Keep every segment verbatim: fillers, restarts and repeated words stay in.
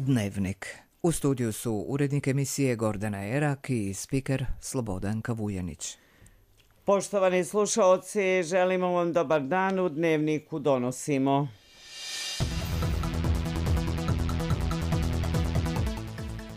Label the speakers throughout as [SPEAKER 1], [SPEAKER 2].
[SPEAKER 1] Dnevnik. U studiju su urednik emisije Gordana Erak i spiker Slobodanka Vujanić.
[SPEAKER 2] Poštovani slušaoci, želimo vam dobar dan, u Dnevniku donosimo.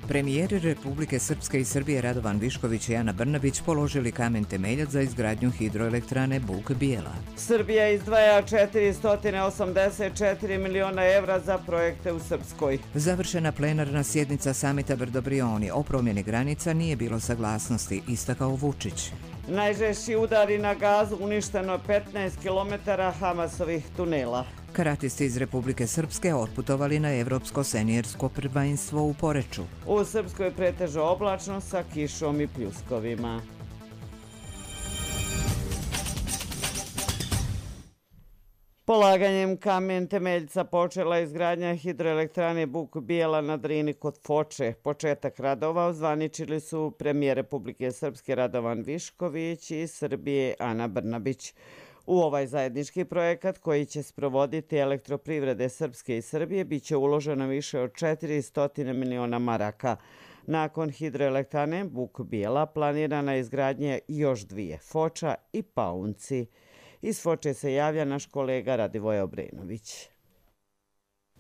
[SPEAKER 1] Premijeri Republike Srpske i Srbije Radovan Višković i Ana Brnabić položili kamen temeljac za izgradnju hidroelektrane Buk Bijela.
[SPEAKER 2] Srbija izdvaja četiristo osamdeset četiri miliona evra za projekte u Srpskoj.
[SPEAKER 1] Završena plenarna sjednica samita Brdo-Brioni. O promjeni granica nije bilo saglasnosti, istakao Vučić.
[SPEAKER 2] Najžešći udari na Gazu, uništeno petnaest kilometara Hamasovih tunela.
[SPEAKER 1] Karatisti iz Republike Srpske otputovali na evropsko seniorsko prvenstvo u Poreču.
[SPEAKER 2] U Srpskoj pretežno oblačno sa kišom i pljuskovima. Polaganjem kamen temeljca počela izgradnja hidroelektrane Buk Bijela na Drini kod Foče. Početak radova ozvaničili su premijer Republike Srpske Radovan Višković i Srbije Ana Brnabić. U ovaj zajednički projekat koji će sprovoditi elektroprivrede Srpske i Srbije biće uloženo više od četiristo miliona maraka. Nakon hidroelektrane Buk Bijela planirana je izgradnja još dvije, Foča i Paunci. Iz Foče se javlja naš kolega Radivoj Obrenović.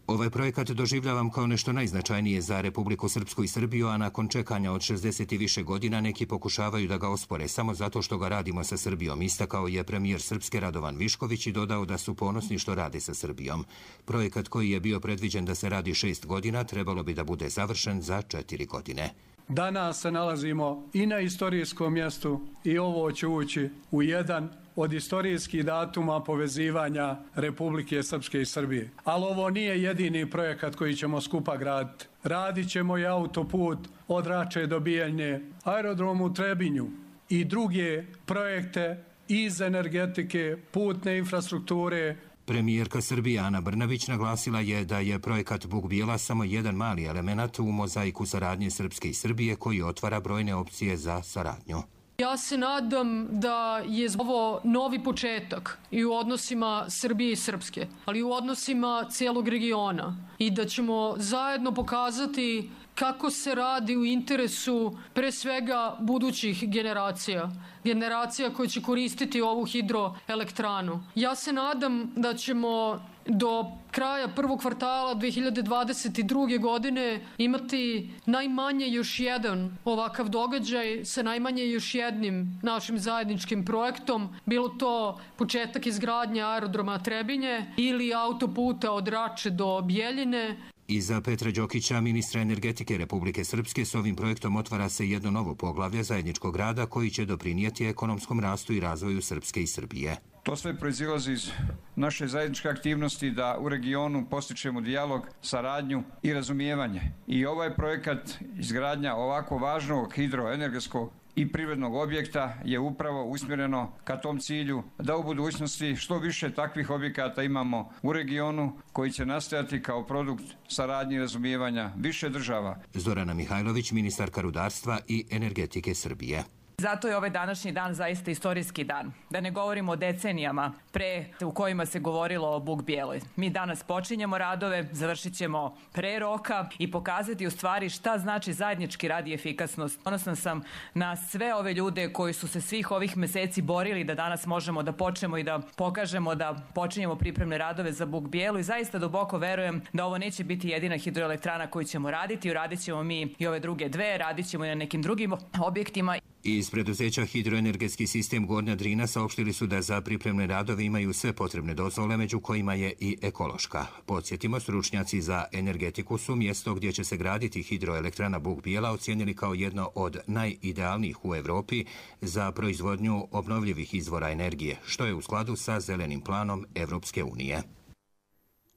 [SPEAKER 3] Ovaj projekat doživljavam kao nešto najznačajnije za Republiku Srpsku i Srbiju, a nakon čekanja od šezdeset i više godina neki pokušavaju da ga ospore samo zato što ga radimo sa Srbijom, istakao je premijer Srpske Radovan Višković i dodao da su ponosni što rade sa Srbijom. Projekat koji je bio predviđen da se radi šest godina trebalo bi da bude završen za četiri godine.
[SPEAKER 4] Danas se nalazimo i na istorijskom mjestu i ovo će ući u jedan od istorijskih datuma povezivanja Republike Srpske i Srbije. Ali ovo nije jedini projekat koji ćemo skupa graditi. Radit ćemo i autoput od Rače do Bijeljne, aerodrom u Trebinju i druge projekte iz energetike, putne infrastrukture.
[SPEAKER 3] Premijerka Srbije Ana Brnabić naglasila je da je projekat Buk Bijela samo jedan mali element u mozaiku saradnje Srpske i Srbije koji otvara brojne opcije za saradnju.
[SPEAKER 5] Ja se nadam da je ovo novi početak i u odnosima Srbije i Srpske, ali i u odnosima cijelog regiona i da ćemo zajedno pokazati kako se radi u interesu pre svega budućih generacija, generacija koje će koristiti ovu hidroelektranu. Ja se nadam da ćemo do kraja prvog kvartala dve hiljade dvadeset druge. godine imati najmanje još jedan ovakav događaj sa najmanje još jednim našim zajedničkim projektom, bilo to početak izgradnje aerodroma Trebinje ili autoputa od Rače do Bijeljine.
[SPEAKER 3] Iza Petra Đokića, ministra energetike Republike Srpske, s ovim projektom otvara se jedno novo poglavlje zajedničkog rada koji će doprinijeti ekonomskom rastu i razvoju Srpske i Srbije.
[SPEAKER 6] To sve proizilazi iz naše zajedničke aktivnosti da u regionu postičemo dijalog, saradnju i razumijevanje. I ovaj projekat izgradnja ovako važnog hidroenergetskog i privrednog objekta je upravo usmjereno ka tom cilju da u budućnosti što više takvih objekata imamo u regionu koji će nastajati kao produkt saradnje i razumijevanja više država.
[SPEAKER 3] Zorana Mihajlović, ministarka rudarstva i energetike Srbije.
[SPEAKER 7] Zato je ovaj današnji dan zaista istorijski dan. Da ne govorimo o decenijama pre u kojima se govorilo o Buk Bijeloj. Mi danas počinjemo radove, završit ćemo pre roka i pokazati u stvari šta znači zajednički rad i efikasnost. Ponosna sam na sve ove ljude koji su se svih ovih meseci borili da danas možemo da počnemo i da pokažemo da počinjemo pripremne radove za Buk Bijelu i zaista duboko verujem da ovo neće biti jedina hidroelektrana koju ćemo raditi. Uradit ćemo mi i ove druge dve, radit ćemo i na nekim drugim objektima.
[SPEAKER 3] Iz preduzeća Hidroenergetski sistem Gornja Drina saopštili su da za pripremne radove imaju sve potrebne dozvole, među kojima je i ekološka. Podsjetimo, stručnjaci za energetiku su mjesto gdje će se graditi hidroelektrana Buk Bijela ocijenili kao jedno od najidealnijih u Evropi za proizvodnju obnovljivih izvora energije, što je u skladu sa zelenim planom Evropske unije.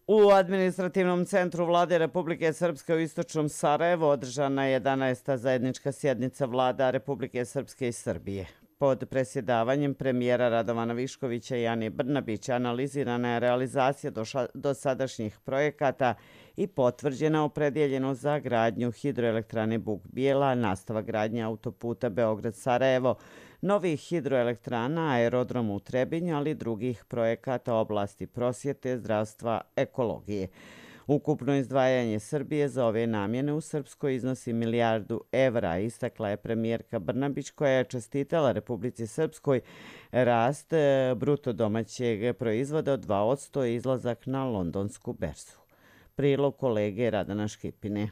[SPEAKER 2] U administrativnom centru Vlade Republike Srpske u istočnom Sarajevu održana je jedanaesta zajednička sjednica Vlada Republike Srpske i Srbije. Pod presjedavanjem premijera Radovana Viškovića i Ane Brnabić analizirana je realizacija dosadašnjih projekata i potvrđena opredjeljenost za gradnju hidroelektrane Buk Bijela, nastavak gradnje autoputa Beograd-Sarajevo, novih hidroelektrana, aerodrom u Trebinju, ali i drugih projekata oblasti prosvjete, zdravstva, ekologije. Ukupno izdvajanje Srbije za ove namjene u Srpskoj iznosi milijardu evra, istakla je premijerka Brnabić koja je čestitala Republici Srpskoj rast bruto domaćeg proizvoda od dva posto i izlazak na londonsku berzu. Prilog kolege Radana Škipine.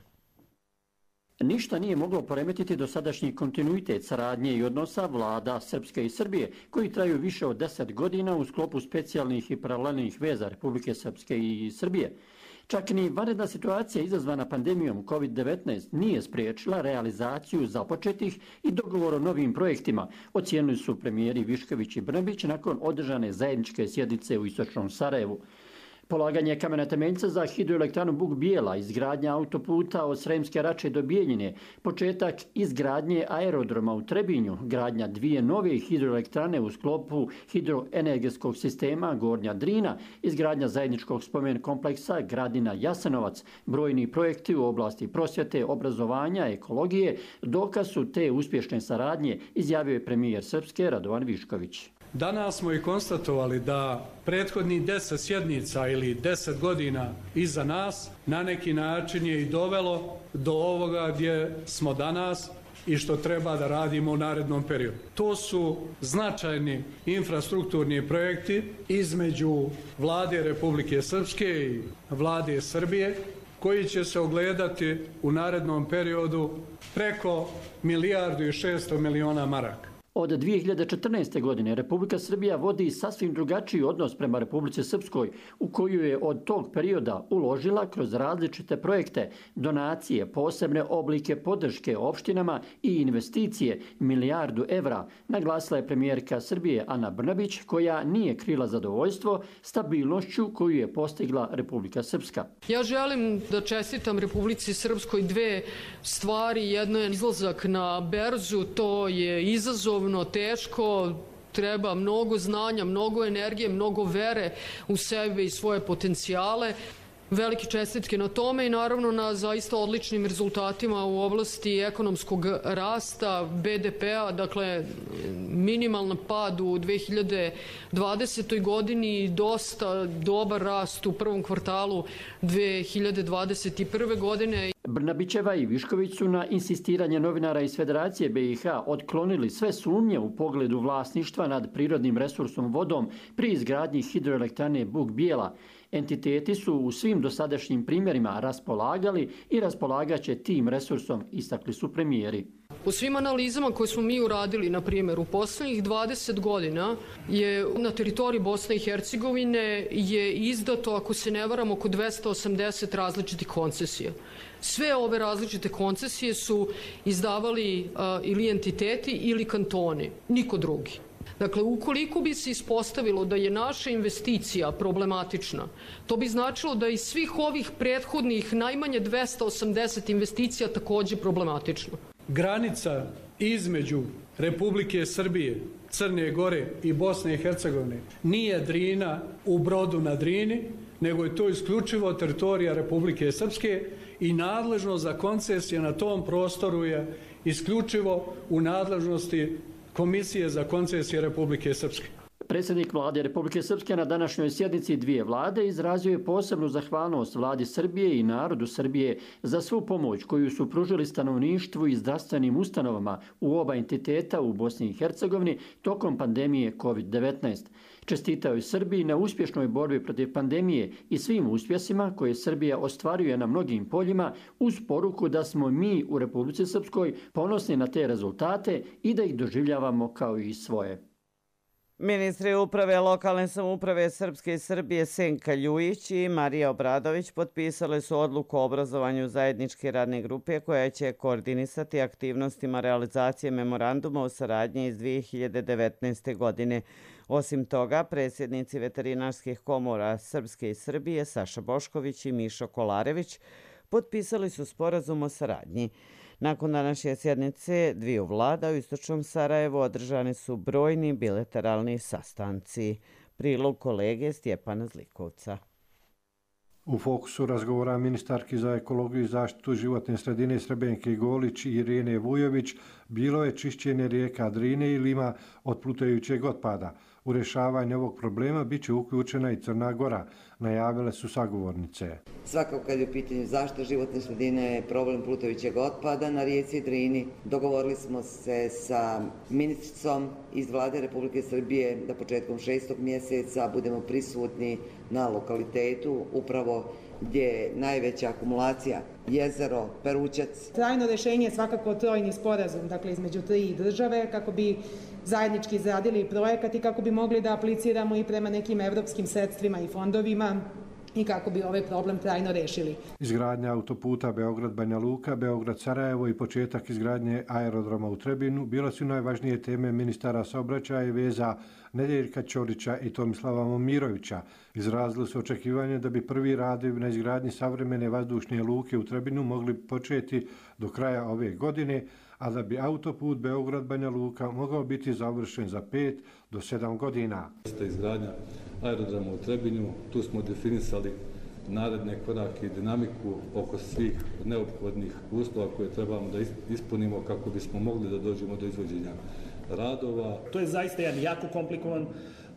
[SPEAKER 8] Ništa nije moglo poremetiti dosadašnji kontinuitet saradnje i odnosa vlada Srpske i Srbije, koji traju više od deset godina u sklopu specijalnih i paralelnih veza Republike Srpske i Srbije. Čak ni vanredna situacija izazvana pandemijom kovid devetnaest nije spriječila realizaciju započetih i dogovor o novim projektima, ocijenili su premijeri Višković i Brnabić nakon održane zajedničke sjednice u istočnom Sarajevu. Polaganje kamena temeljca za hidroelektranu Buk Bijela, izgradnja autoputa od Sremske Rače do Bijeljine, početak izgradnje aerodroma u Trebinju, gradnja dvije nove hidroelektrane u sklopu hidroenergetskog sistema Gornja Drina, izgradnja zajedničkog spomen kompleksa Gradina Jasenovac, brojni projekti u oblasti prosvjete, obrazovanja, ekologije, dokaz su te uspješne saradnje, izjavio je premijer Srpske Radovan Višković.
[SPEAKER 4] Danas smo i konstatovali da prethodnih deset sjednica ili deset godina iza nas na neki način je i dovelo do ovoga gdje smo danas i što treba da radimo u narednom periodu. To su značajni infrastrukturni projekti između Vlade Republike Srpske i Vlade Srbije koji će se ogledati u narednom periodu preko milijardu i šesto miliona maraka.
[SPEAKER 8] Od dvije hiljade četrnaeste. godine Republika Srbija vodi sasvim drugačiji odnos prema Republici Srpskoj, u koju je od tog perioda uložila kroz različite projekte, donacije, posebne oblike podrške opštinama i investicije milijardu evra, naglasila je premijerka Srbije Ana Brnabić, koja nije krila zadovoljstvo stabilnošću koju je postigla Republika Srpska.
[SPEAKER 5] Ja želim da čestitam Republici Srpskoj dve stvari. Jedno je izlazak na berzu, to je izazov teško, treba mnogo znanja, mnogo energije, mnogo vere u sebe i svoje potencijale. Velike čestitke na tome i naravno na zaista odličnim rezultatima u oblasti ekonomskog rasta be de pe-a, dakle minimalan pad u dve hiljade dvadesetoj. godini i dosta dobar rast u prvom kvartalu dve hiljade dvadeset prve. godine.
[SPEAKER 8] Brnabićeva i Višković su na insistiranje novinara iz Federacije be i ha otklonili sve sumnje u pogledu vlasništva nad prirodnim resursom vodom pri izgradnji hidroelektrane Buk Bijela. Entiteti su u svim dosadašnjim primjerima raspolagali i raspolagaće tim resursom, istakli su premijeri.
[SPEAKER 5] U svim analizama koje smo mi uradili, na primjer, u poslednjih dvadeset godina je na teritoriji Bosne i Hercegovine je izdato, ako se ne varam, oko dvesta osamdeset različitih koncesija. Sve ove različite koncesije su izdavali a, ili entiteti ili kantoni, niko drugi. Dakle, ukoliko bi se ispostavilo da je naša investicija problematična, to bi značilo da iz svih ovih prethodnih najmanje dvesta osamdeset investicija takođe problematično.
[SPEAKER 4] Granica između Republike Srbije, Crne Gore i Bosne i Hercegovine nije Drina u Brodu na Drini, nego je to isključivo teritorija Republike Srpske i nadležnost za koncesije na tom prostoru je isključivo u nadležnosti Komisije za koncesije Republike Srpske.
[SPEAKER 8] Predsjednik vlade Republike Srpske na današnjoj sjednici dvije vlade izrazio je posebnu zahvalnost vladi Srbije i narodu Srbije za svu pomoć koju su pružili stanovništvu i zdravstvenim ustanovama u oba entiteta u Bosni i Hercegovini tokom pandemije kovid devetnaest. Čestitao je Srbiji na uspješnoj borbi protiv pandemije i svim uspjesima koje Srbija ostvaruje na mnogim poljima, uz poruku da smo mi u Republici Srpskoj ponosni na te rezultate i da ih doživljavamo kao i svoje.
[SPEAKER 2] Ministri uprave lokalne samouprave Srpske i Srbije Senka Ljujić i Marija Obradović potpisale su odluku o obrazovanju zajedničke radne grupe koja će koordinisati aktivnostima realizacije memoranduma o saradnji iz dvije hiljade devetnaeste. godine. Osim toga, predsjednici veterinarskih komora Srpske i Srbije Saša Bošković i Mišo Kolarević potpisali su sporazum o saradnji. Nakon današnje sjednice dviju vlada u istočnom Sarajevu održani su brojni bilateralni sastanci. Prilog kolege Stjepana Zlikovca.
[SPEAKER 9] U fokusu razgovora ministarki za ekologiju i zaštitu životne sredine Srebenke Golić i Irene Vujović bilo je čišćenje rijeka Drine i Lima od plutajućeg otpada. U rješavanje ovog problema bit će uključena i Crna Gora, najavile su sagovornice.
[SPEAKER 10] Svakako kad je u pitanju zaštita životne sredine, problem plutajućeg otpada na rijeci Drini, dogovorili smo se sa ministricom iz Vlade Republike Srbije da početkom šestog mjeseca budemo prisutni na lokalitetu upravo gdje je najveća akumulacija, jezero Perućac.
[SPEAKER 11] Trajno rješenje je svakako trojni sporazum, dakle između tri države, kako bi zajednički izradili projekat i kako bi mogli da apliciramo i prema nekim evropskim sredstvima i fondovima i kako bi ovaj problem trajno rešili.
[SPEAKER 9] Izgradnja autoputa Beograd-Banja Luka, Beograd-Sarajevo i početak izgradnje aerodroma u Trebinu bila su najvažnije teme ministara saobraćaja i veza Nedjeljka Ćorića i Tomislava Momirovića. Izrazili su očekivanje da bi prvi radovi na izgradnji savremene vazdušne luke u Trebinu mogli početi do kraja ove godine, a da bi autoput Beograd-Banja Luka mogao biti završen za pet do sedam godina.
[SPEAKER 12] Izgradnja aerodroma u Trebinju, tu smo definisali naredne korake i dinamiku oko svih neophodnih uslova koje trebamo da ispunimo kako bismo mogli da dođemo do izvođenja radova.
[SPEAKER 13] To je zaista jedan jako komplikovan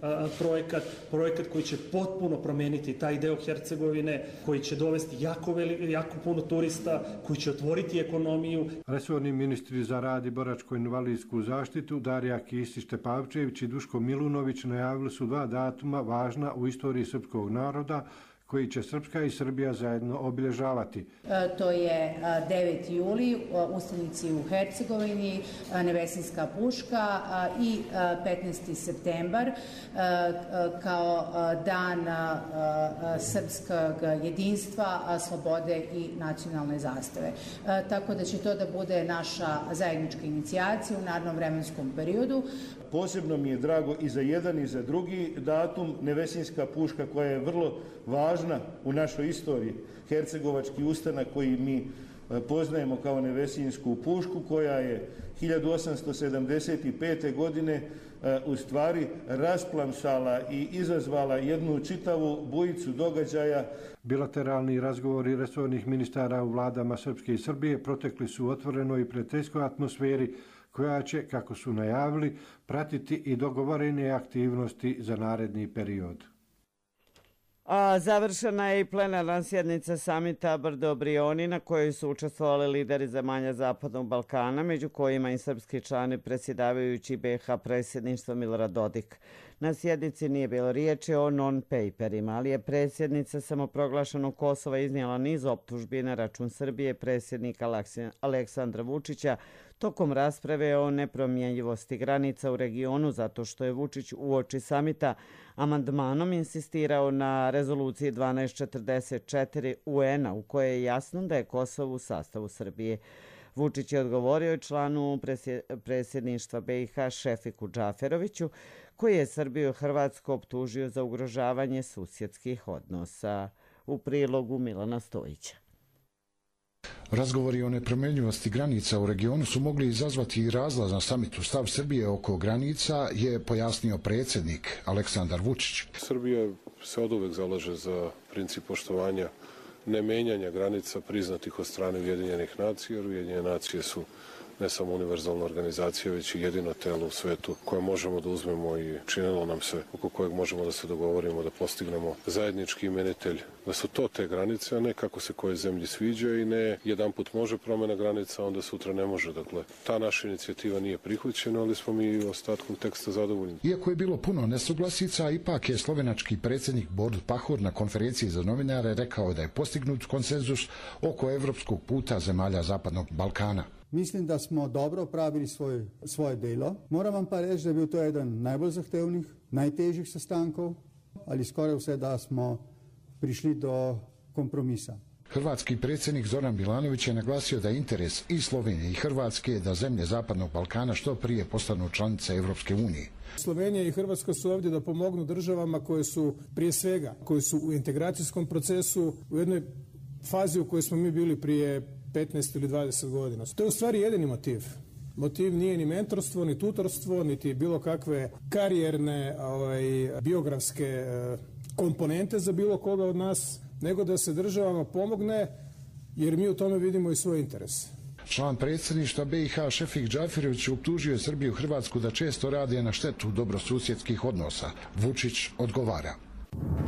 [SPEAKER 13] a, projekat, projekat koji će potpuno promijeniti taj deo Hercegovine, koji će dovesti jako, veli, jako puno turista, koji će otvoriti ekonomiju.
[SPEAKER 9] Resorni ministri za rad i boračko-invalidsku zaštitu Darija Kisić-Tepavčević i Duško Milunović najavili su dva datuma važna u istoriji srpskog naroda koji će Srpska i Srbija zajedno obilježavati.
[SPEAKER 14] E, to je deveti juli, ustanici u Hercegovini, Nevesinska puška i petnaesti septembar kao dan srpskog jedinstva, slobode i nacionalne zastave. Tako da će to da bude naša zajednička inicijacija u narednom vremenskom periodu.
[SPEAKER 15] Posebno mi je drago i za jedan i za drugi datum, Nevesinska puška koja je vrlo važna u našoj istoriji, hercegovački ustanak koji mi poznajemo kao Nevesinsku pušku, koja je hiljadu osamsto sedamdeset pete. godine u stvari rasplamsala i izazvala jednu čitavu bujicu događaja.
[SPEAKER 9] Bilateralni razgovori resornih ministara u vladama Srpske i Srbije protekli su u otvorenoj i prijateljskoj atmosferi koja će, kako su najavili, pratiti i dogovorene aktivnosti za naredni period.
[SPEAKER 2] A završena je i plenarna sjednica samita Brdo-Brioni na kojoj su učestvovali lideri zemalja Zapadnog Balkana, među kojima i srpski članovi predsjedavajući B iH predsjedništva Milorad Dodik. Na sjednici nije bilo riječi o non-paperima, ali je predsjednica samoproglašenog Kosova iznijela niz optužbi na račun Srbije predsjednika Aleksandra Vučića tokom rasprave o nepromjenjivosti granica u regionu, zato što je Vučić uoči samita amandmanom insistirao na rezoluciji dvanaest četrdeset četiri U N-a u kojoj je jasno da je Kosovo u sastavu Srbije. Vučić je odgovorio članu predsjedništva B iH Šefiku Džaferoviću, koji je Srbiju i Hrvatsku optužio za ugrožavanje susjedskih odnosa. U prilogu Milana Stojića.
[SPEAKER 16] Razgovori o nepromjenjivosti granica u regionu su mogli izazvati i razlaz na samitu. Stav Srbije oko granica je pojasnio predsjednik Aleksandar Vučić.
[SPEAKER 17] Srbija se oduvek zalaže za princip poštovanja nemenjanja granica priznatih od strane Ujedinjenih nacija, jer Ujedinjene nacije su ne samo univerzalna organizacija, već i jedino telo u svetu koje možemo da uzmemo i činilo nam se, oko kojeg možemo da se dogovorimo, da postignemo zajednički imenitelj, da su to te granice, a ne kako se koje zemlji sviđa i ne jedan put može promjena granica, onda sutra ne može. Dakle, ta naša inicijativa nije prihvaćena, ali smo mi ostatkom teksta zadovoljni.
[SPEAKER 16] Iako je bilo puno nesuglasica, ipak je slovenački predsjednik Borut Pahor na konferenciji za novinare rekao da je postignut konsenzus oko evropskog puta zemalja Zapadnog Balkana.
[SPEAKER 18] Mislim, da smo dobro opravili svoj, svoje delo. Moram vam pa reči, da je bil to eden najbolj zahtevnih, najtežjih sestankov, ali skoraj vse, da smo prišli do kompromisa.
[SPEAKER 16] Hrvatski predsjednik Zoran Milanović je naglasio da je interes i Slovenije i Hrvatske da zemlje Zapadnog Balkana što prije postanu članice Evropske unije.
[SPEAKER 19] Slovenija i Hrvatska su ovdje da pomognu državama koje su prije svega, koje su u integracijskom procesu, u jednoj fazi u kojoj smo mi bili prije petnaest ili dvadeset godina. To je u stvari jedini motiv. Motiv nije ni mentorstvo, ni tutorstvo, niti bilo kakve karijerne, ovaj, biografske eh, komponente za bilo koga od nas, nego da se državama pomogne, jer mi u tome vidimo i svoj interes.
[SPEAKER 16] Član predsjedništva B i H Šefik Džaferović optužio je Srbiju i Hrvatsku da često rade na štetu dobrosusjedskih odnosa. Vučić odgovara.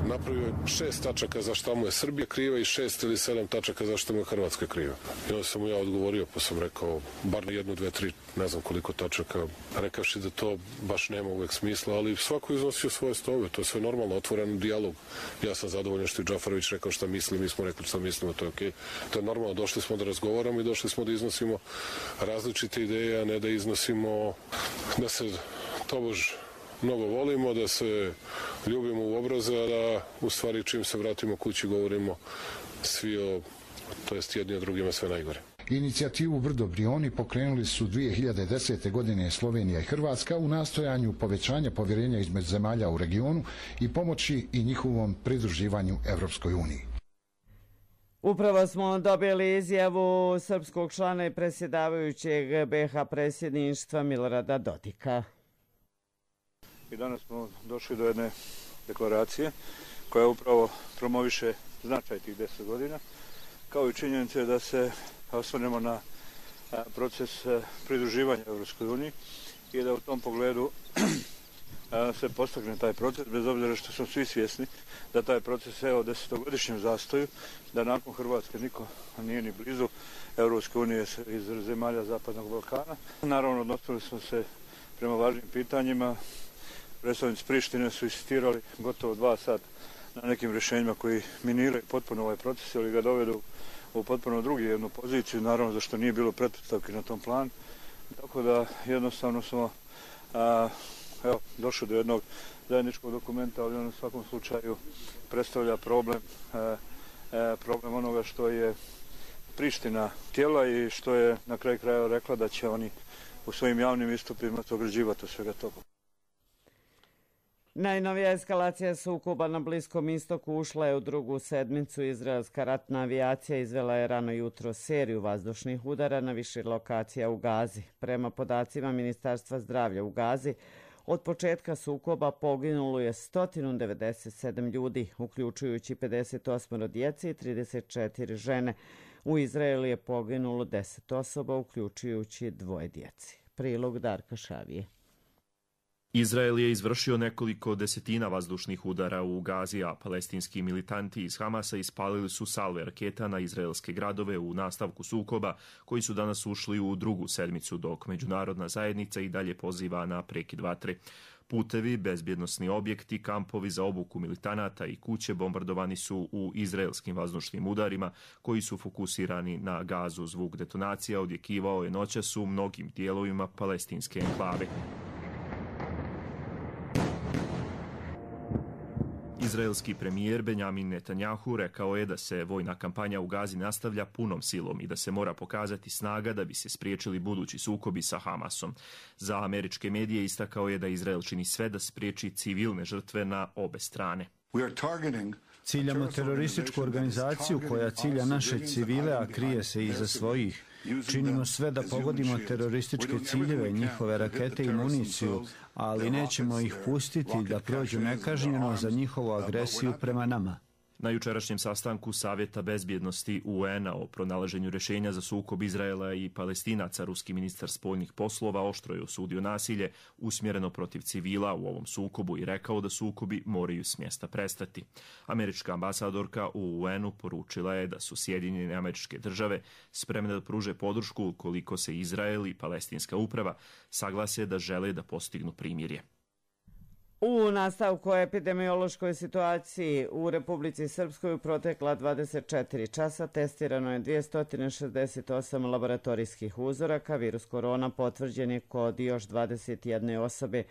[SPEAKER 17] Napravio je šest tačaka za šta mu je Srbija kriva i šest ili sedam tačaka za šta mu je Hrvatska kriva. I onda sam mu ja odgovorio, pa sam rekao bar jednu, dve, tri, ne znam koliko tačaka, rekavši da to baš nema uvek smisla, ali svako iznosio svoje stove, to je sve normalno, otvoren dijalog. Ja sam zadovoljan što je Džaferović rekao šta misli, mi smo rekli šta mislimo, to je okej. To je normalno, došli smo da razgovaramo i došli smo da iznosimo različite ideje, a ne da iznosimo da se tobož mnogo volimo, da se ljubimo u obraze, a da u stvari čim se vratimo kući govorimo svi o, to jest jedni o drugima sve najgore.
[SPEAKER 16] Inicijativu Brdo Brioni pokrenuli su dvije hiljade desete. godine Slovenija i Hrvatska u nastojanju povećanja povjerenja između zemalja u regionu i pomoći i njihovom pridruživanju Evropskoj uniji.
[SPEAKER 2] Upravo smo dobili izjavu srpskog člana i predsjedavajućeg B H predsjedništva Milorada Dodika.
[SPEAKER 20] I danas smo došli do jedne deklaracije koja upravo promoviše značaj tih deset godina, kao i činjenice da se osvrnemo na proces pridruživanja Evropskoj uniji i da u tom pogledu se postakne taj proces, bez obzira što smo svi svjesni da taj proces je o desetogodišnjem zastoju, da nakon Hrvatske niko nije ni blizu Evropske unije iz zemalja Zapadnog Balkana. Naravno, odnosili smo se prema važnim pitanjima. Predstavnici Prištine su insistirali gotovo dva sata na nekim rješenjima koji miniraju potpuno ovaj proces ili ga dovedu u potpuno drugi jednu poziciju, naravno zašto nije bilo pretpostavki na tom planu. Tako da jednostavno smo a, evo, došli do jednog zajedničkog dokumenta, ali on u svakom slučaju predstavlja problem, a, a, problem onoga što je Priština htjela i što je na kraju kraja rekla da će oni u svojim javnim istupima ograđivati od svega toga.
[SPEAKER 2] Najnovija eskalacija sukoba na Bliskom istoku ušla je u drugu sedmicu. Izraelska ratna avijacija izvela je rano jutro seriju vazdušnih udara na više lokacija u Gazi. Prema podacima Ministarstva zdravlja u Gazi, od početka sukoba poginulo je sto devedeset sedam ljudi, uključujući pedeset osam djece i trideset četiri žene. U Izraelu je poginulo deset osoba, uključujući dvoje djece. Prilog Darka Šavije.
[SPEAKER 21] Izrael je izvršio nekoliko desetina vazdušnih udara u Gazi, a palestinski militanti iz Hamasa ispalili su salve raketa na izraelske gradove u nastavku sukoba, koji su danas ušli u drugu sedmicu, dok međunarodna zajednica i dalje poziva na prekid vatre. Putevi, bezbjednosni objekti, kampovi za obuku militanata i kuće bombardovani su u izraelskim vazdušnim udarima, koji su fokusirani na Gazu. Zvuk detonacija odjekivao je noćas u mnogim dijelovima palestinske enklave. Izraelski premijer Benjamin Netanjahu rekao je da se vojna kampanja u Gazi nastavlja punom silom i da se mora pokazati snaga da bi se spriječili budući sukobi sa Hamasom. Za američke medije istakao je da Izrael čini sve da spriječi civilne žrtve na obe strane.
[SPEAKER 22] Ciljamo terorističku organizaciju koja cilja naše civile, a krije se iza svojih. Činimo sve da pogodimo terorističke ciljeve, njihove rakete i municiju, ali nećemo ih pustiti da prođu nekažnjeno za njihovu agresiju prema nama.
[SPEAKER 21] Na jučerašnjem sastanku Savjeta bezbjednosti U N-a o pronalaženju rješenja za sukob Izraela i Palestinaca, ruski ministar spoljnih poslova oštro je osudio nasilje usmjereno protiv civila u ovom sukobu i rekao da sukobi moraju s mjesta prestati. Američka ambasadorka u U N-u poručila je da su Sjedinjene Američke Države spremne da pruže podršku ukoliko se Izrael i palestinska uprava saglase da žele da postignu primirje.
[SPEAKER 2] U nastavku o epidemiološkoj situaciji u Republici Srpskoj u protekla dvadeset četiri časa testirano je dvjesto šezdeset osam laboratorijskih uzoraka. Virus korona potvrđen je kod još dvadeset jedne osobe.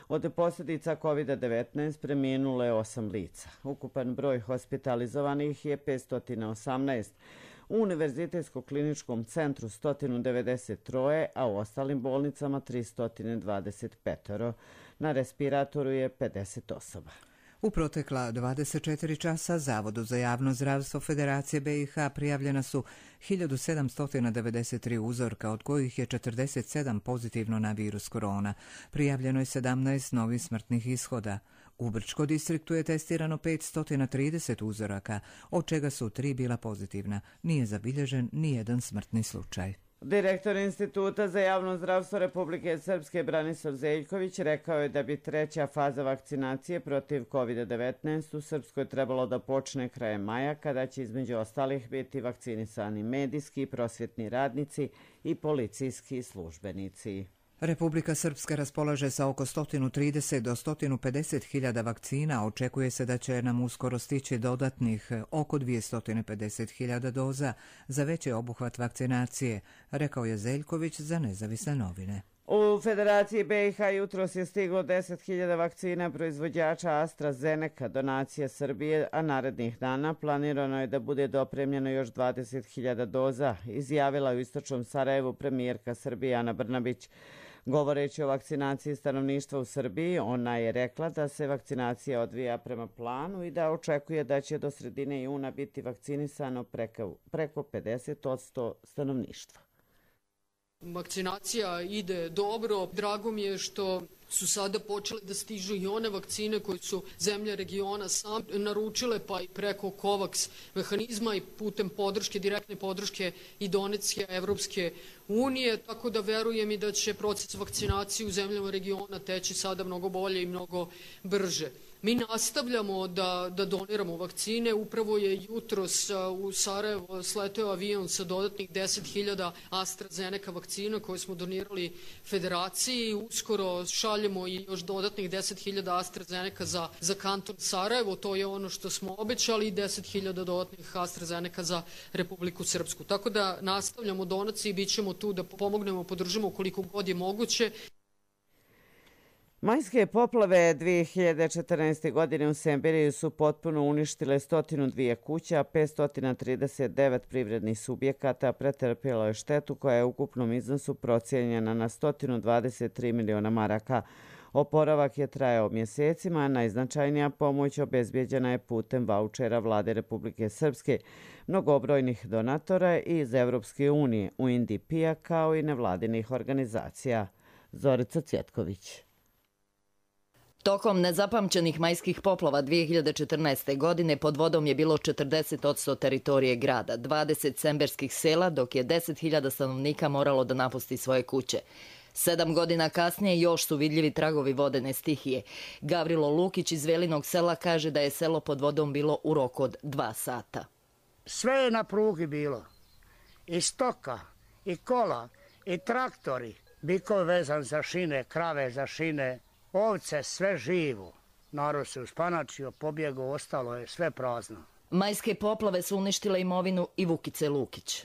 [SPEAKER 2] Od posljedica kovid devetnaest preminulo je osam lica. Ukupan broj hospitalizovanih je petsto osamnaest. U Univerzitetskom kliničkom centru sto devedeset tri, a u ostalim bolnicama tristo dvadeset pet. Na respiratoru je pedeset osoba.
[SPEAKER 1] U protekla dvadeset četiri časa Zavodu za javno zdravstvo Federacije B i H prijavljena su hiljadu sedamsto devedeset tri uzorka, od kojih je četrdeset sedam pozitivno na virus korona. Prijavljeno je sedamnaest novih smrtnih ishoda. U Brčko distriktu je testirano petsto trideset uzoraka, od čega su tri bila pozitivna. Nije zabilježen ni jedan smrtni slučaj.
[SPEAKER 2] Direktor Instituta za javno zdravstvo Republike Srpske Branislav Zeljković rekao je da bi treća faza vakcinacije protiv kovid devetnaest u Srpskoj trebalo da počne krajem maja, kada će između ostalih biti vakcinisani medijski, prosvjetni radnici i policijski službenici.
[SPEAKER 1] Republika Srpska raspolaže sa oko sto trideset do sto pedeset hiljada vakcina. Očekuje se da će nam uskoro stići dodatnih oko dvjesto pedeset hiljada doza za veći obuhvat vakcinacije, rekao je Zeljković za Nezavisne novine.
[SPEAKER 2] U Federaciji B i H jutros je stiglo deset hiljada vakcina proizvođača AstraZeneca, donacije Srbije, a narednih dana planirano je da bude dopremljeno još dvadeset hiljada doza, izjavila u istočnom Sarajevu premijerka Srbije Ana Brnabić. Govoreći o vakcinaciji stanovništva u Srbiji, ona je rekla da se vakcinacija odvija prema planu i da očekuje da će do sredine juna biti vakcinisano preko, preko pedeset posto stanovništva.
[SPEAKER 5] Vakcinacija ide dobro. Drago mi je što su sada počele da stižu i one vakcine koje su zemlje regiona sam naručile, pa i preko COVAX mehanizma i putem podrške, direktne podrške i donacije Evropske unije, tako da verujem i da će proces vakcinacije u zemljama regiona teći sada mnogo bolje i mnogo brže. Mi nastavljamo da, da doniramo vakcine. Upravo je jutros u Sarajevo sleteo avion sa dodatnih deset hiljada AstraZeneca vakcina koje smo donirali Federaciji. Uskoro šaljemo i još dodatnih deset hiljada AstraZeneca za, za kanton Sarajevo. To je ono što smo obećali, i deset hiljada dodatnih AstraZeneca za Republiku Srpsku. Tako da nastavljamo donacije i bit ćemo tu da pomognemo, podržimo koliko god je moguće.
[SPEAKER 2] Majske poplave dvije hiljade četrnaeste. godine u Semberiju su potpuno uništile sto dvije kuća, a petsto trideset devet privrednih subjekata pretrpjelo je štetu koja je u ukupnom iznosu procijenjena na sto dvadeset tri miliona maraka. Oporavak je trajao mjesecima, a najznačajnija pomoć obezbijeđena je putem vaučera Vlade Republike Srpske, mnogobrojnih donatora iz Evropske unije, U N D P-a kao i nevladinih organizacija. Zorica Cvjetković.
[SPEAKER 6] Tokom nezapamćenih majskih poplava dvije hiljade četrnaeste. godine pod vodom je bilo četrdeset posto teritorije grada, dvadeset semberskih sela, dok je deset hiljada stanovnika moralo da napusti svoje kuće. Sedam godina kasnije još su vidljivi tragovi vodene stihije. Gavrilo Lukić iz Velinog sela kaže da je selo pod vodom bilo u roku od dva sata.
[SPEAKER 7] Sve je na prugi bilo. I stoka, i kola, i traktori, bikov vezan za šine, krave za šine, ovce, sve živo. Narod se uspanačio, pobjegao, ostalo je sve prazno.
[SPEAKER 6] Majske poplave su uništile imovinu i Vukice Lukić.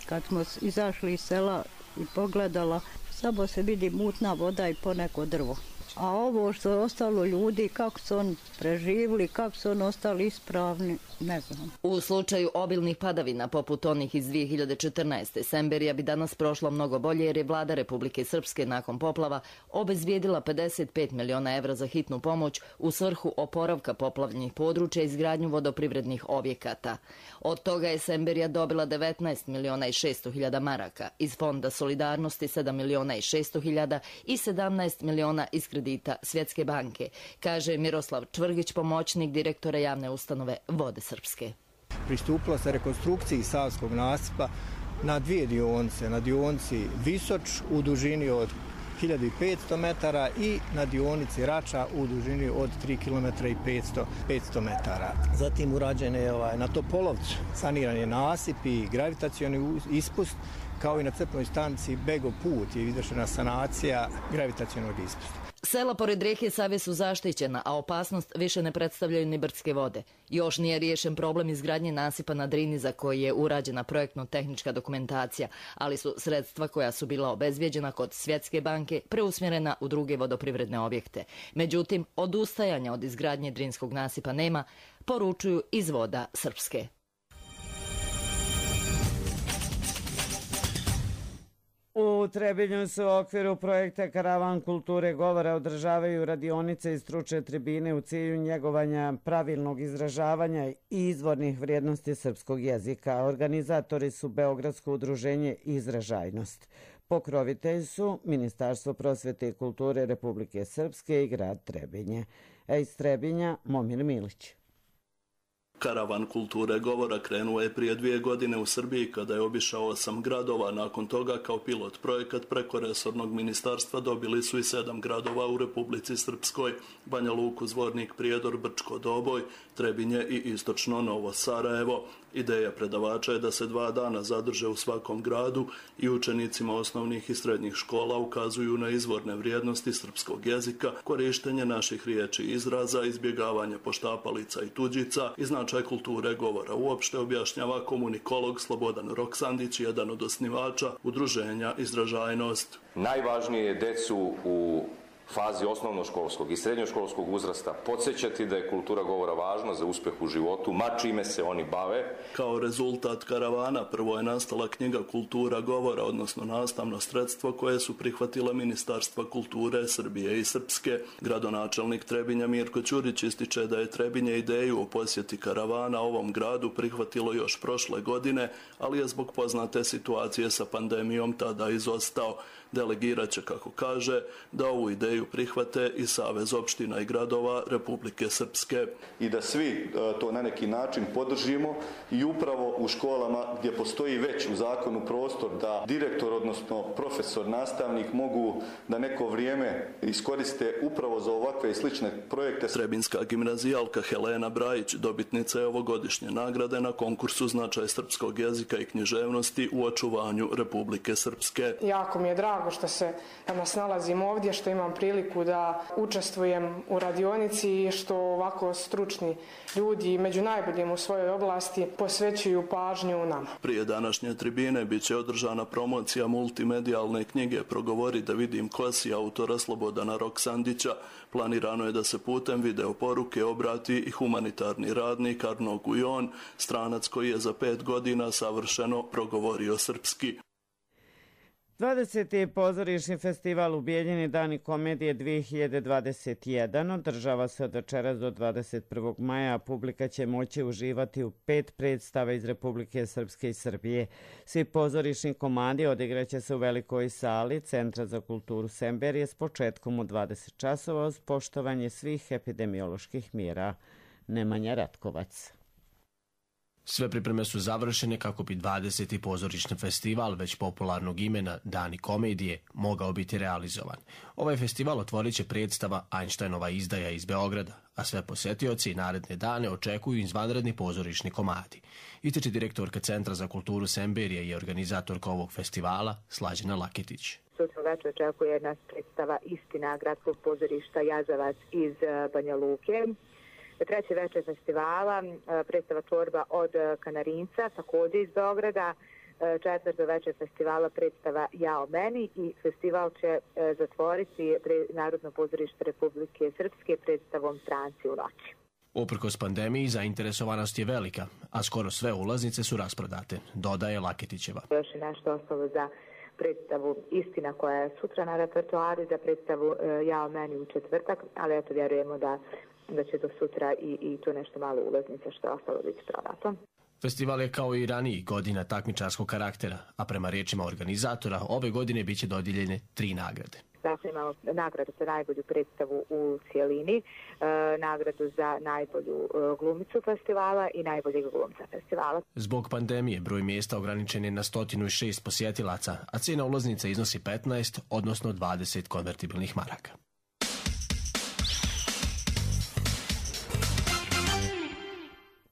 [SPEAKER 23] Kad smo izašli iz sela i pogledala, samo se vidi mutna voda i poneko drvo. A ovo što je ostalo ljudi, kako su oni preživili, kako su oni ostali ispravni, ne znam.
[SPEAKER 6] U slučaju obilnih padavina, poput onih iz dvije hiljade četrnaeste. Semberija bi danas prošla mnogo bolje jer je vlada Republike Srpske nakon poplava obezbijedila pedeset pet miliona evra za hitnu pomoć u svrhu oporavka poplavljenih područja i izgradnju vodoprivrednih objekata. Od toga je Semberija dobila devetnaest miliona i šesto hiljada maraka, iz Fonda solidarnosti sedam miliona i šesto hiljada i sedamnaest miliona iz kredita Svjetske banke, kaže Miroslav Čvrgić, pomoćnik direktora javne ustanove Vode Srpske.
[SPEAKER 24] Pristupilo se rekonstrukciji Savskog nasipa na dvije dionice, na dionici Visoč u dužini od hiljadu petsto metara i na dionici Rača u dužini od tri kilometra i petsto metara. Zatim urađen je ovaj, na Topolovcu saniran je nasip i gravitacioni ispust, kao i na crpnoj stanici Bego put je izvršena sanacija gravitacionog ispusta.
[SPEAKER 6] Sela pored rijeke Save su zaštićena, a opasnost više ne predstavljaju ni brdske vode. Još nije riješen problem izgradnje nasipa na Drini za koji je urađena projektno-tehnička dokumentacija, ali su sredstva koja su bila obezbijeđena kod Svjetske banke preusmjerena u druge vodoprivredne objekte. Međutim, odustajanja od izgradnje Drinskog nasipa nema, poručuju iz Voda Srpske.
[SPEAKER 2] U Trebinju se u okviru projekta Karavan kulture govora održavaju radionice i stručne tribine u cilju njegovanja pravilnog izražavanja i izvornih vrijednosti srpskog jezika. Organizatori su Beogradsko udruženje Izražajnost. Pokrovitelji su Ministarstvo prosvete i kulture Republike Srpske i grad Trebinje. A iz Trebinja Momir Milić.
[SPEAKER 3] Karavan kulture govora krenuo je prije dvije godine u Srbiji kada je obišao osam gradova. Nakon toga kao pilot projekat preko resornog ministarstva dobili su i sedam gradova u Republici Srpskoj: Banja Luku, Zvornik, Prijedor, Brčko Doboj, Trebinje i istočno Novo Sarajevo. Ideja predavača je da se dva dana zadrže u svakom gradu i učenicima osnovnih i srednjih škola ukazuju na izvorne vrijednosti srpskog jezika, korištenje naših riječi i izraza, izbjegavanje poštapalica i tuđica i značaj kulture govora uopšte, objašnjava komunikolog Slobodan Roksandić, jedan od osnivača udruženja Izražajnost.
[SPEAKER 4] Najvažnije je decu u fazi osnovnoškolskog i srednjoškolskog uzrasta podsjećati da je kultura govora važna za uspjeh u životu, ma čime se oni bave.
[SPEAKER 3] Kao rezultat karavana prvo je nastala knjiga Kultura govora, odnosno nastavno sredstvo koje su prihvatila Ministarstva kulture Srbije i Srpske. Gradonačelnik Trebinja Mirko Ćurić ističe da je Trebinje ideju o posjeti karavana ovom gradu prihvatilo još prošle godine, ali je zbog poznate situacije sa pandemijom tada izostao. Delegirat će, kako kaže, da ovu ideju prihvate i Savez opština i gradova Republike Srpske.
[SPEAKER 4] I da svi to na neki način podržimo i upravo u školama gdje postoji već u zakonu prostor da direktor, odnosno profesor, nastavnik mogu da neko vrijeme iskoriste upravo za ovakve i slične projekte.
[SPEAKER 3] Trebinska gimnazijalka Helena Brajić dobitnica je ovogodišnje nagrade na konkursu Značaj srpskog jezika i književnosti u očuvanju Republike Srpske.
[SPEAKER 8] Jako mi je drago što se danas nalazim ovdje, što imam priliku da učestvujem u radionici i što ovako stručni ljudi među najboljim u svojoj oblasti posvećuju pažnju nama.
[SPEAKER 3] Prije današnje tribine bit će održana promocija multimedijalne knjige Progovori da vidim ko si autora Slobodana Roksandića. Planirano je da se putem video poruke obrati i humanitarni radnik Arno Gujon, stranac koji je za pet godina savršeno progovorio srpski.
[SPEAKER 2] dvadeseti pozorišni festival u Bijeljini Dani komedije dvije hiljade dvadeset jedan održava se od večeras do dvadeset prvog maja, a publika će moći uživati u pet predstava iz Republike Srpske i Srbije. Svi pozorišni komadi odigraće se u velikoj sali Centra za kulturu Semberije s početkom u dvadeset časova uz poštovanje svih epidemioloških mjera. Nemanja Ratkovac.
[SPEAKER 10] Sve pripreme su završene kako bi dvadeseti pozorišni festival već popularnog imena Dani komedije mogao biti realizovan. Ovaj festival otvorit će predstava Einsteinova izdaja iz Beograda, a sve posjetioci i naredne dane očekuju izvanredni pozorišni komadi. Ističe direktorka Centra za kulturu Semberije i organizatorka ovog festivala Slađana Laketić.
[SPEAKER 25] Sutra večer očekuje nas predstava Istina gradskog pozorišta Jazavac iz Banja Luke. Treći večer festivala, predstava Čorba od Kanarinca, također iz Beograda. Četvrto večer festivala predstava Ja o meni i festival će zatvoriti Narodno pozorište Republike Srpske predstavom Stranci u noći.
[SPEAKER 10] Uprkos pandemiji zainteresovanost je velika, a skoro sve ulaznice su rasprodate, dodaje Laketićeva.
[SPEAKER 25] Još je nešto ostalo za predstavu Istina koja je sutra na repertoaru, za predstavu Ja o meni u četvrtak, ali eto vjerujemo da da će do sutra i, i to nešto malo ulaznica što je ostalo biti prodato.
[SPEAKER 10] Festival je kao i raniji godina takmičarskog karaktera, a prema riječima organizatora ove godine biće dodijeljene tri nagrade.
[SPEAKER 25] Dakle, imamo nagradu za najbolju predstavu u cijelini, e, nagradu za najbolju e, glumicu festivala i najboljeg glumca festivala.
[SPEAKER 10] Zbog pandemije broj mjesta ograničen je na sto šest posjetilaca, a cijena ulaznica iznosi petnaest, odnosno dvadeset konvertibilnih maraka.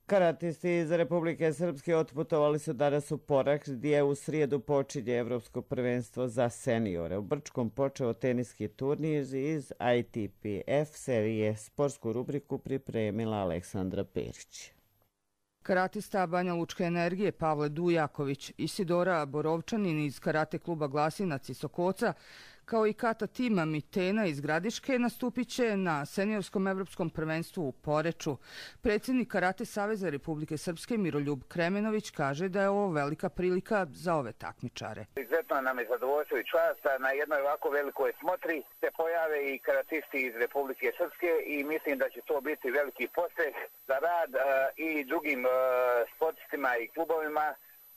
[SPEAKER 2] Karatisti iz Republike Srpske otputovali su danas u Porak, gdje u srijedu počinje Evropsko prvenstvo za seniore. U Brčkom počeo teniski turnir iz I T P F serije. Sportsku rubriku pripremila Aleksandra Perić.
[SPEAKER 26] Karatista Banja Lučke energije Pavle Dujaković, Isidora Borovčanin iz karate kluba Glasinac iz Sokoca, kao i Kata Tima Mitena iz Gradiške nastupit će na seniorskom evropskom prvenstvu u Poreču. Predsjednik Karate Saveza Republike Srpske Miroljub Kremenović kaže da je ovo velika prilika za ove takmičare.
[SPEAKER 27] Izuzetno nam je zadovoljstvo i čast da na jednoj ovako velikoj smotri se pojave i karatisti iz Republike Srpske i mislim da će to biti veliki postreh za rad uh, i drugim uh, sportistima i klubovima.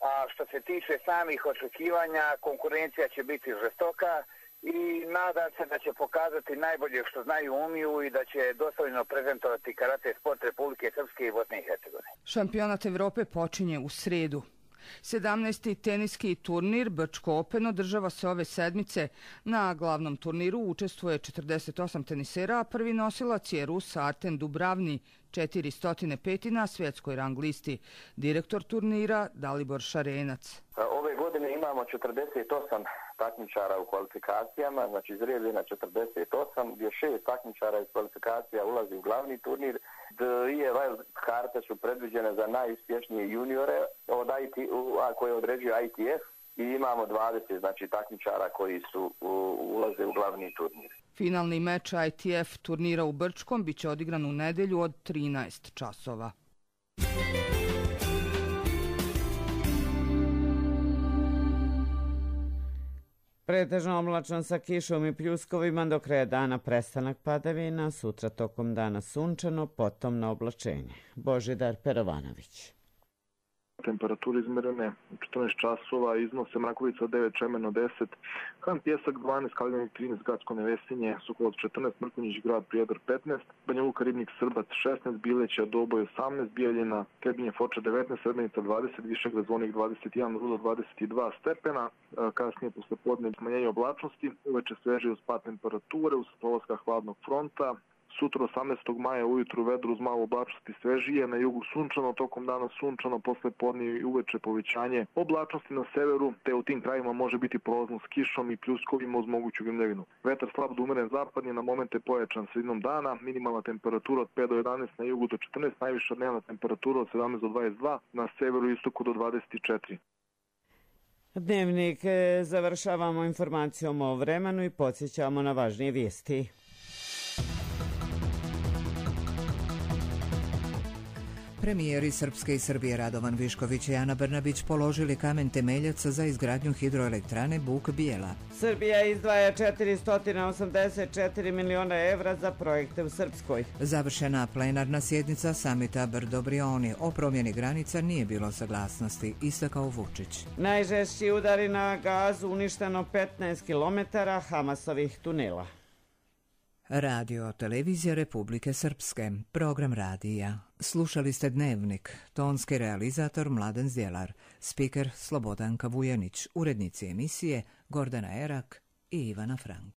[SPEAKER 27] A što se tiče samih očekivanja, konkurencija će biti žestoka i nadam se da će pokazati najbolje što znaju, umiju i da će dostojno prezentovati karate sport Republike Srpske i Bosne i Hercegovine.
[SPEAKER 26] Šampionat Evrope počinje u sredu. sedamnaesti teniski turnir Brčko Open održava se ove sedmice. Na glavnom turniru učestvuje četrdeset osam tenisera, a prvi nosilac je Rus Arten Dubravni, četiristo pet na svjetskoj rang listi. Direktor turnira Dalibor Šarenac.
[SPEAKER 9] Ove godine imamo četrdeset osam takmičara u kvalifikacijama, znači izrijedi na četrdeset osam, gdje šest takmičara iz kvalifikacija ulazi u glavni turnir. Dvije wild karte su predviđene za najuspješnije juniore od I T, a koje određuje I T F, i imamo dvadeset znači takmičara koji su u, ulaze u glavni turnir.
[SPEAKER 26] Finalni meč I T F turnira u Brčkom biće odigran u nedelju od trinaest časova.
[SPEAKER 2] Pretežno oblačno sa kišom i pljuskovima, do kraja dana prestanak padavina, sutra tokom dana sunčano, potom na oblačenje. Božidar Perovanović.
[SPEAKER 11] Temperature izmerene četrnaest časova, iznose Mrakovica devet, Čemeno deset, Han Pjesak dvanaest, Kaljanik trinaest, Gacko Nevesinje, Sokolac četrnaest, Mrkonjić grad Prijedor petnaest, Banja Luka Ribnik Srbac šesnaest, Bileća Doboj osamnaest, Bijeljina Trebinje Foča devetnaest, Srebrenica dvadeset, Višegrad Zvonik dvadeset jedan, Rudo dvadeset dva stepena, kasnije posle podne smanjenje oblačnosti, uveče sveže uz pad temperature, uz polaska hladnog fronta. Sutra osamnaestog maja ujutru vedro uz malo oblačnosti svežije, na jugu sunčano, tokom dana sunčano, posle podne i uveče povećanje oblačnosti na severu, te u tim krajima može biti prolazno s kišom i pljuskovima uz moguću grmljavinu. Vetar slab do umeren zapadni, na momente pojačan sredinom dana, minimalna temperatura od pet do jedanaest, na jugu do četrnaest, najviša dnevna temperatura od sedamnaest do dvadeset dva, na severu i istoku do dvadeset četiri.
[SPEAKER 2] Dnevnik završavamo informacijom o vremenu i podsjećamo na važnije vijesti.
[SPEAKER 1] Premijeri Srpske i Srbije Radovan Višković i Ana Brnabić položili kamen temeljac za izgradnju hidroelektrane Buk Bijela.
[SPEAKER 2] Srbija izdvaja četiristo osamdeset četiri miliona evra za projekte u Srpskoj.
[SPEAKER 1] Završena plenarna sjednica samita Brdo-Brioni. O promjeni granica nije bilo saglasnosti, istakao Vučić.
[SPEAKER 2] Najžešći udari na Gazu, uništeno petnaest kilometara Hamasovih tunela.
[SPEAKER 1] Radio Televizija Republike Srpske, program radija. Slušali ste Dnevnik, tonski realizator Mladen Zdjelar, spiker Slobodanka Vujanić, urednici emisije Gordana Erak i Ivana Frank.